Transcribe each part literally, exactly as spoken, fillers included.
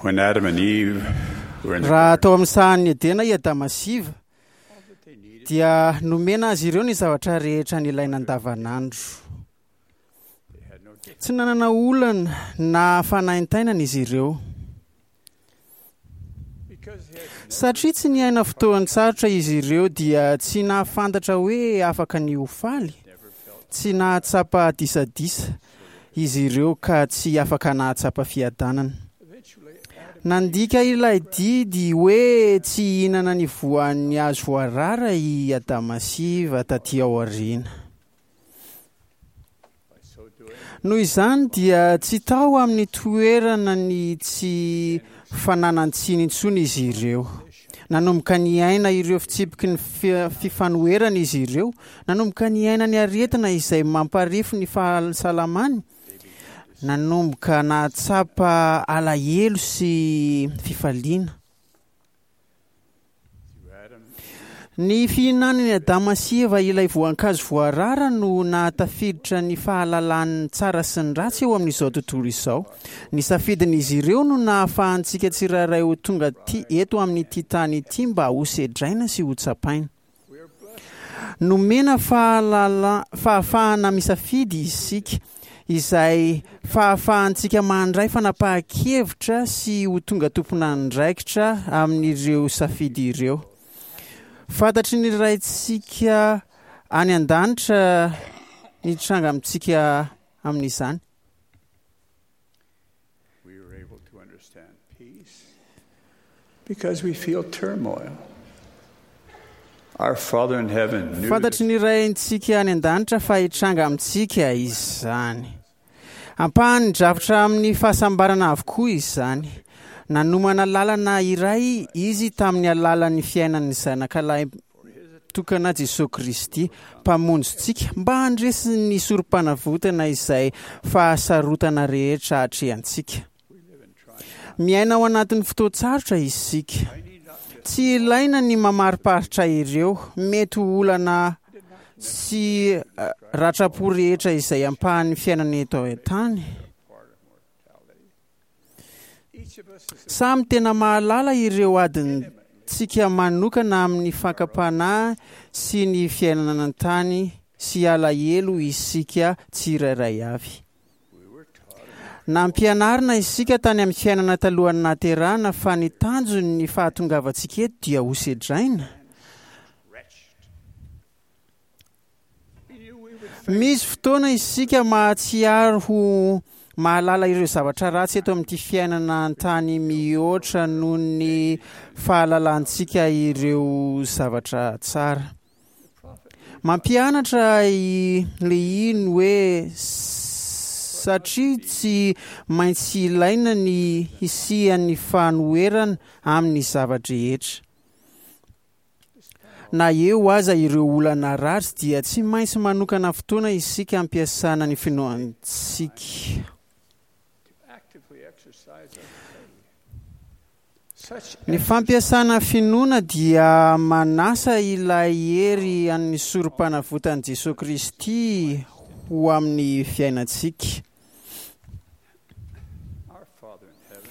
When Adam and Eve were in the Raha tao amin'ny sahan'ny Edena i Adama sy Eva dia nomena azy ireo ny zavatra rehetra nilaina andavanandro. Tsy nanana olana na fanaintainana izy ireo. Satria tsy niaina fotoan-tsarotra izy ireo dia tsy nahafantatra hoe afaka ny ho faly. Tsy nahatsapa disadisa izy ireo ka tsy afaka nahatsapa fiadanana. Nandika ilay didy hoe tsy hihinana ny voan'ny hazo voarara i Adama sy Eva taty aoriana. Noho izany dia tsy tao amin'ny toerana ny tsy fananan-tsiny intsony izy ireo. Nanomboka niaina ireo fitsipiky ny fifanoherana izy ireo, nanomboka niaina ny aretina izay mamparefo ny fahasalamany, nanomboka nahatsapa alahelo sy fifaliana. Ny fihinanan'i Adama sy Eva ilay voankazo voarara no nahatafiditra ny fahalalan'ny tsara sy ny ratsy eo amin'izao tontolo izao. Ny safidin'izy ireo no nahafahantsika tsirairay ho tonga ty eto amin'ity tany ity mba hosedraina sy hotsapaina. Nomena fahalala fahafahana misafidy isika, izay fahafahantsika mandray fanapahan-kevitra sy ho tonga tompon'andraikitra amin'ireo safidy ireo. Fantatry ny Raintsika any an-danitra ny tranga amintsika amin'izany. We were able to understand peace because we feel turmoil. Our Father in heaven knew Fantatry ny Raintsika any an-danitra fa hitranga amintsika izany. Ampahan'ny drafitra amin'ny fahasambarana avokoa izany. Nanomana lalana iray izy tamin'ny alalan'ny fiainan'ny zanakalahy tokana Jesosy Kristy mpamonjintsika mba handresy ny sorom-panavotana izay fahasarotana rehetra atrehantsika. Miaina ao anatin'ny fotoan-tsarotra isika. Tsy ilaina ny mamariparitra ireo mety ho olana sy ratram-po rehetra izay ampahan'ny fiainana eto an-tany. Samy tena mahalala ireo adintsika manokana amin'ny fakam-panahy sy ny fiainana an-tany sy alahelo isika tsirairay avy. Nampianarina isika tany amin'ny fiainana talohan'ny nahaterahana fa ny tanjon'ny fahatongavantsika eto dia hosedraina. Misy fotoana isika mahatsiaro ho mahalala ireo zavatra ratsy eto amin'ity fiainana an-tany mihoatra noho ny fahalalantsika ireo zavatra tsara. Mampianatra i Lehia ny hoe satria tsy maintsy ilaina ny hisian'ny fanoherana amin'ny zava-drehetra. Na eo aza ireo olana ratsy dia tsy maintsy manokana fotoana isika ampiasana ny finoantsika. actively exercise our faith. Such Ny fampiasana finoana dia manasa ilay hery an'ny sorom-panavotan'i Jesosy Kristy ho amin'ny fiainantsika. our Father in heaven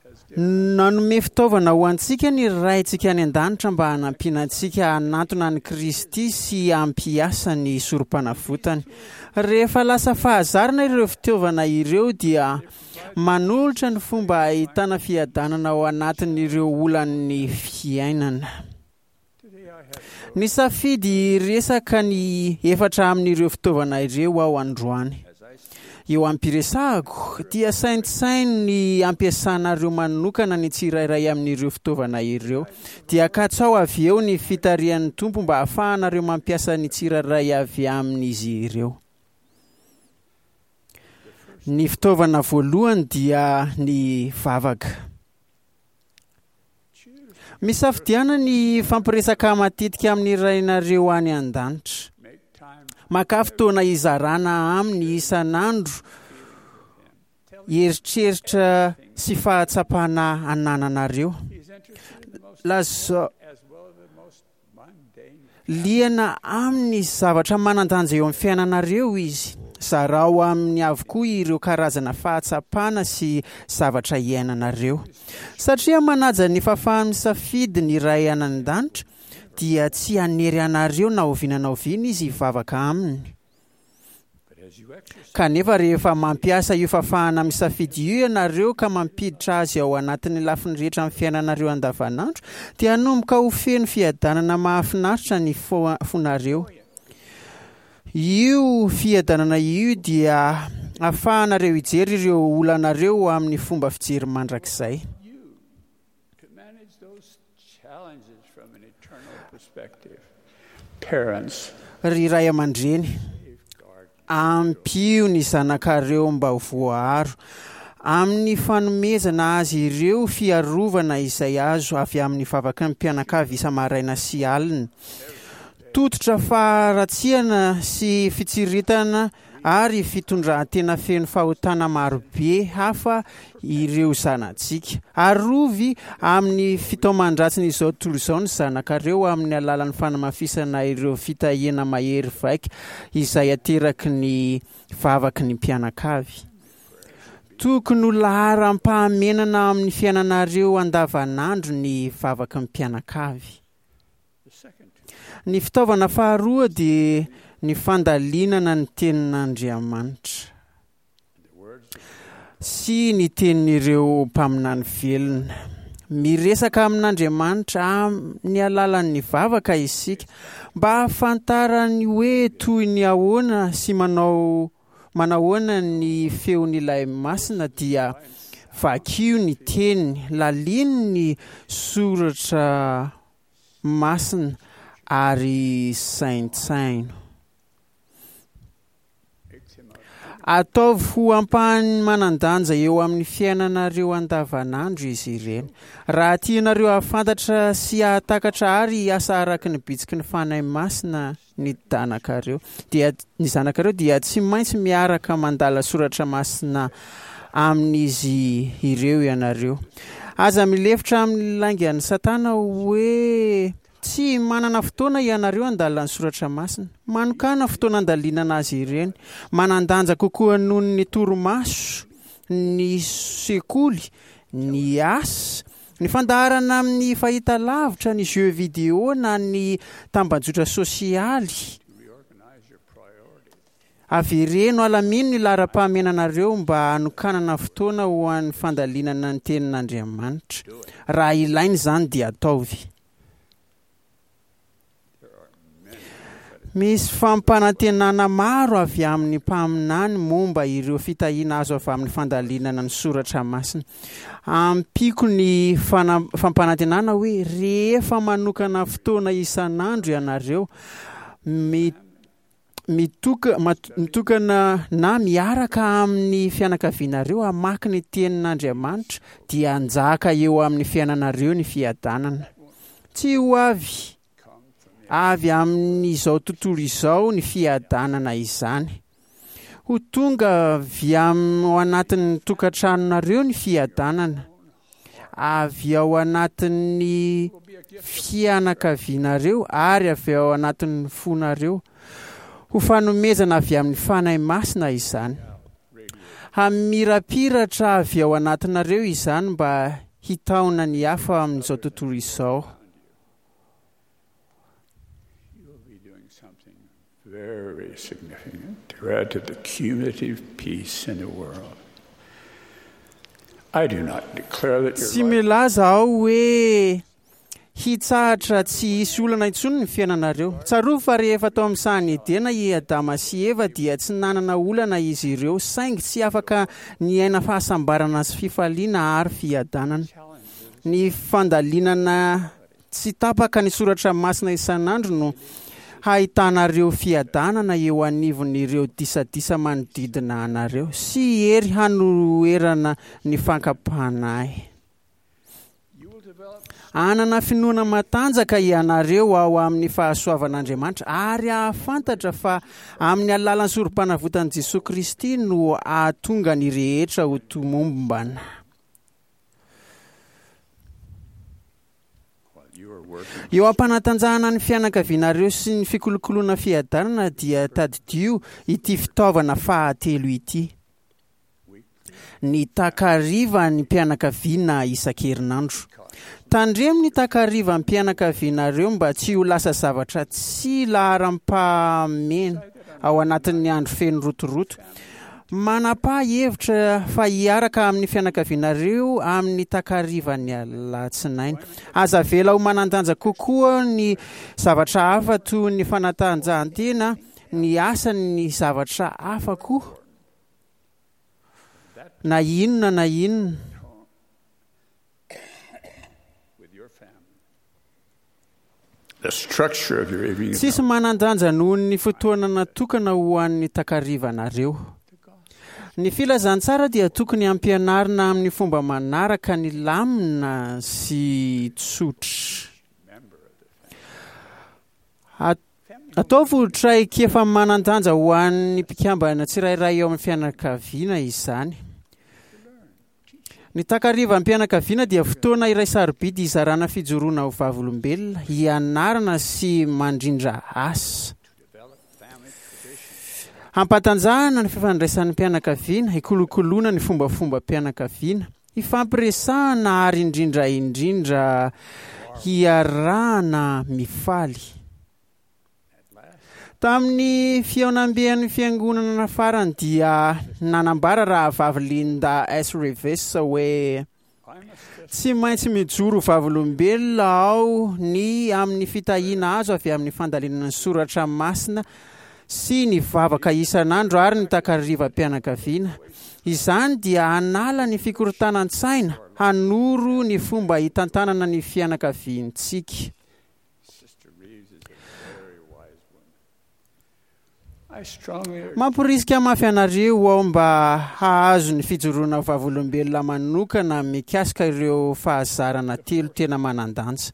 has given Nanome fitaovana ho antsika ny Raintsika any an-danitra mba hanampiana antsika hanantona an'i Kristy sy hampiasa ny sorom-panavotany. Rehefa lasa fahazarana ireo fitaovana ireo dia manolotra ny fomba ahitana fiadanana ao anatin'ireo olan'ny fiainana. today I have Nisafidy resaka ny efatra amin'ireo fitaovana ireo aho androany. as I speak Eo am-piresahako dia saintsaino ny ampiasanareo manokana ny tsirairay amin'ireo fitaovana ireo. Dia katsao avy eo ny fitarihan'ny Tompo mba hahafahanareo mampiasa ny tsirairay avy amin'izy ireo. Ny fitaovana voalohany dia ny vavaka. Misafidiana ny fampiresaka matetika amin'ny Rainareo any an-danitra. make time Maka fotoana hizarana aminy isan'andro eritreritra sy fahatsapana anananareo. he's interested in the most Lazao as well as the most mundane liana amin'ny zavatra manan-danja eo amin'ny fiainanareo izy Zarao aminy avokoa ireo karazana fahatsapana sy zavatra iainanareo. Satria manaja ny fahafaha-misafidy ny Ray any an-danitra, dia tsy hanery anareo na oviana na oviana izy hivavaka aminy. Kanefa rehefa mampiasa io fahafahana misafidy io ianareo ka mampiditra azy ao anatin'ny lafiny rehetra amin'ny fiainanareo andavanandro, dia hanomboka ho feno fiadanana mahafinaritra ny fo- fonareo. Io fiadanana io dia ahafahanareo hijery ireo olanareo amin'ny fomba fijery mandrakizay. You to manage those challenges from an eternal perspective. Parents, Ry ray aman-dreny, safeguard ampio ny zanakareo mba ho voaaro amin'ny fanomezana azy ireo fiarovana izay azo avy amin'ny vavaky ny mpianakavy isa-maraina sy alina. Tototra faharatsiana sy fitsiritana ary fitondran-tena feno fahotana marobe hafa ireo zanatsika. Arovy amin'ny fitaoman-dratsin'izao tontolo izao ny zanakareo amin'ny alalan'ny fanamafisana ireo fitahiana mahery vaika izay ateraky ny vavaky ny mpianakavy. Tokony ho laharam-pahamenana amin'ny fiainanareo andavanandro ny vavaky ny mpianakavy. the second tool. Ny fitaovana faharoa dia ny fandalinana ny tenin'Andriamanitra The words of sy ny tenin'ireo mpaminany velona. Miresaka amin'Andriamanitra amin'ny alalan'ny vavaka isika mba hahafantarany hoe toy ny ahoana sy manao manahoana ny feon'ilay masina, dia vakio ny teniny, lalino ny soratra masina ary saintsaino. makes him a Ataovy ho ampahany manan-danja eo amin'ny fiainanareo andavanandro izy ireny. Raha tianareo hahafantatra sy hahatakatra ary hiasa araka ny bitsiky ny Fanahy Masina ny danakareo, dia ny zanakareo dia tsy maintsy miaraka mandala soratra masina amin'izy ireo ianareo. Aza milefitra amin'ny laingan'ny Satana hoe tsy manana fotoana ianareo handalina ny soratra masina. Manokàna fotoana handalinana azy ireny. Manan-danja kokoa noho ny torimaso, ny sekoly, ny asa, ny fandaharana amin'ny fahitalavitra, ny jeux vidéo na ny tambajotra sosialy. to reorganize your priorities. Avereno alamino ny laharam-pahamenanareo mba hanokanana fotoana ho an'ny fandalinana ny tenin'Andriamanitra. Raha ilaina izany dia ataovy. There are many prophetic Misy fampanantenana maro avy amin'ny mpaminany momba ireo fitahiana azo avy amin'ny fandalinana ny soratra masina. Ampiko ny fana- fampanantenana hoe rehefa manokana fotoana isan'andro ianareo, mi- mitoka- mat- mitokana na miaraka amin'ny fianakavianareo hamaky ny tenin'Andriamanitra, dia hanjaka eo amin'ny fiainanareo ny fiadanana. Tsy ho avy come from the avy amin'izao tontolo izao ny fiadanana izany. Ho tonga avy am- ao anatin'ny tokantranonareo ny fiadanana, avy ao anatin'ny will be a gift fianakavianareo ary avy ao anatin'ny fonareo. Ho fanomezana avy amin'ny Fanahy Masina izany. radiating Hamirapiratra avy ao anatinareo izany mba hitaona ny hafa amin'izao tontolo izao. around you. You will be doing something very significant to add to the cumulative peace in the world. I do not declare that Tsy your life milaza aho hoe hitsahatra tsy hisy olana intsony ny fiainanareo. Tsarovy fa rehefa tao amin'ny sahan'i Edena i Adama sy Eva dia tsy nanana olana izy ireo, saingy tsy afaka niaina fahasambarana sy fifaliana ary fiadanana. challenges Ny fandalinana tsy tapaka ny soratra masina isan'andro no hahitanareo fiadanana eo anivon'ireo disadisa manodidina anareo sy hery hanoherana ny fankam-panahy. you will develop Hanana finoana matanjaka ianareo ao amin'ny fahasoavan'Andriamanitra ary hahafantatra fa amin'ny alalan'ny sorom-panavotan'i Jesoa Kristy no hahatonga ny rehetra ho tomombana. while You are working Eo am-panatanjahana ny fianakavianareo sy ny fikolokoloana fiadanana dia tadidio ity fitaovana fahatelo ity. Ny takarivan'ny mpianakaviana isan-kerinandro. Tandremo ny takarivan'ny mpianakavianareo mba tsy ho lasa zavatra tsy laharam-pahamehana ao anatin'ny andro feno rotoroto. Manapaha hevitra fa hiaraka amin'ny fianakavianareo amin'ny takarivan'ny alatsinainy. Aza avela ho manan-danja kokoa ny zavatra hafa toy ny fanatanjahantena, ny asa, ny zavatra hafa koa. Na inona na inona. with your family. The structure of your evening Tsisy manan-danja noho ny fotoana natokana ho an'ny takarivanareo. Ny filazantsara dia tokony hampianarina amin'ny fomba manaraka ny lamina sy tsotra. member of the family. At- Ataovy traikefa manan-danja ho an'ny mpikambana tsirairay eo amin'ny fianakaviana izany. Ny takarivam-pianakaviana dia fotoana iray sarobidy hizarana fijoroana ho vavolombelona, hianarana sy mandrindra asa. Develop family tradition. Hampatanjahana ny fifandraisan'ny mpianakaviana, hikolokoloana ny fombafomba-pianakaviana, hifampiresahana ary indrindra indrindra hiarahana mifaly. At last, Tamin'ny fihaonamben'ny fiangonana farany dia nanambara rahavavy Linda S. Reeves hoe I must tsy maintsy mijoro vavolombelona aho ny amin'ny fitahiana azo avy amin'ny fandalinana ny soratra masina sy ny vavaka isan'andro ary ny takarivam-pianakaviana. Izany dia hanala ny fikorontanan-tsaina, hanoro ny fomba hitantanana ny fianakaviantsika. Sister Reeves is a very wise woman. I strongly urge Mamporisika mafy anareo aho mba hahazo ny fijoroana vavolombelona manokana mikasika ireo fahazarana telo tena manan-danja.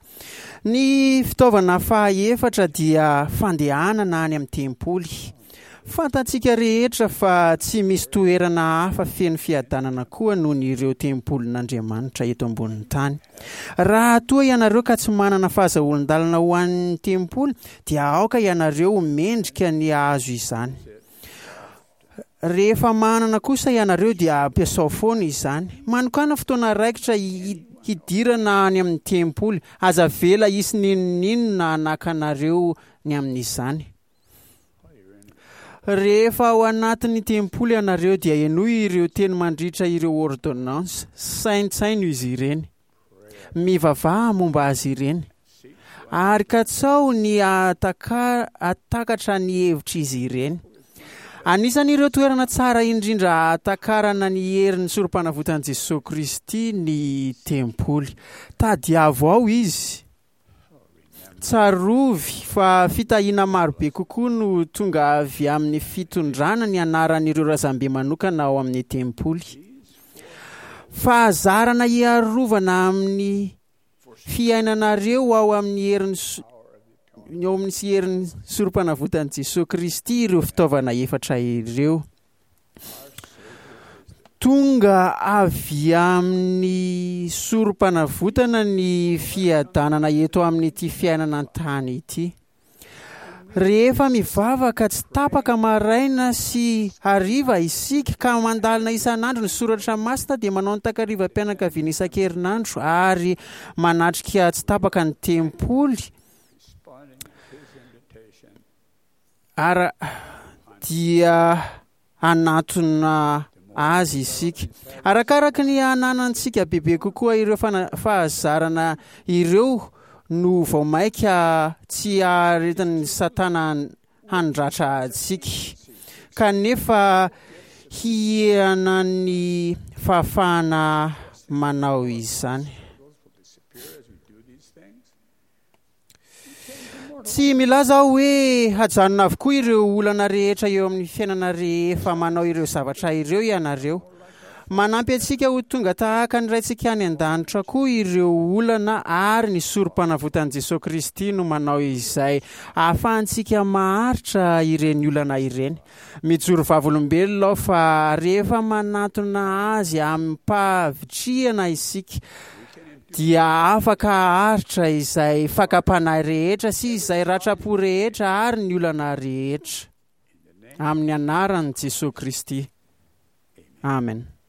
Ny fitaovana fahaefatra dia fandehanana any amin'ny tempoly. Fantatsika rehetra fa tsy misy toerana hafa feno fiadanana koa noho ny ireo tempolin'Andriamanitra eto ambonin'ny tany. Raha toa ianareo ka tsy manana fahazoan-dalana ho an'ny tempoly dia aoka ianareo ho mendrika ny hahazo izany. Rehefa manana kosa ianareo dia ampiasao foana izany. Manokàna fotoana raikitra hi- hidirana any amin'ny tempoly. Aza avela hisy n'inon'inona hanakanareo ny amin'izany. while you're in Rehefa ao anatin'ny tempoly ianareo dia henoy ireo teny mandritra ireo ordonnance, saintsaino izy ireny. Mivavaha momba azy ireny. seek Ary katsao ny ahataka- ahatakatra ny hevitr'izy ireny. Anisan'ireo toerana tsara indrindra ahatakarana ny herin'ny sorom-panavotan'i Jesosy Kristy ny tempoly. Tadiavo ao izy. Tsarovy fa fitahiana marobe kokoa no tonga avy amin'ny fitondrana ny anaran'ireo razambe manokana ao amin'ny tempoly. Fahazarana hiarovana amin'ny fiainanareo ao amin'ny herin'ny so- eo amin'ny sy herin'ny sorom-panavotan'i Jesosy Kristy ireo fitaovana efatra ireo. Tonga avy amin'ny sorom-panavotana ny fiadanana eto amin'ity fiainana an-tany ity. Rehefa mivavaka tsy tapaka maraina sy hariva isika ka mandalina isan'andro ny soratra masina dia manao ny takarivam-pianakaviana isan-kerinandro ary manatrika tsy tapaka ny tempoly responding to his invitation ara dia hanatona azy isika. Arakaraka ny hananantsika bebe kokoa ireo fana- fahazarana ireo no vao mainka tsy haharetan'ny satana handratra antsika. Kanefa hihena ny fahafahana manao izany. struggles will disappear as we do these things. Tsy milaza aho hoe hajanona avokoa ireo olana rehetra eo amin'ny fiainana rehefa manao ireo zavatra ireo ianareo. Manampy antsika ho tonga tahaka ny Raintsika any an-danitra koa ireo olana ary ny sorom-panavotan'i Jesosy Kristy no manao izay ahafahantsika maharitra ireny olana ireny. Mijoro vavolombelona aho fa rehefa manatona azy amim-pahavitrihana isika dia afaka haharitra izay fakam-panahy rehetra sy izay ratram-po rehetra ary ny olana rehetra. Amin'ny anaran'i Jesoa Kristy. Amen.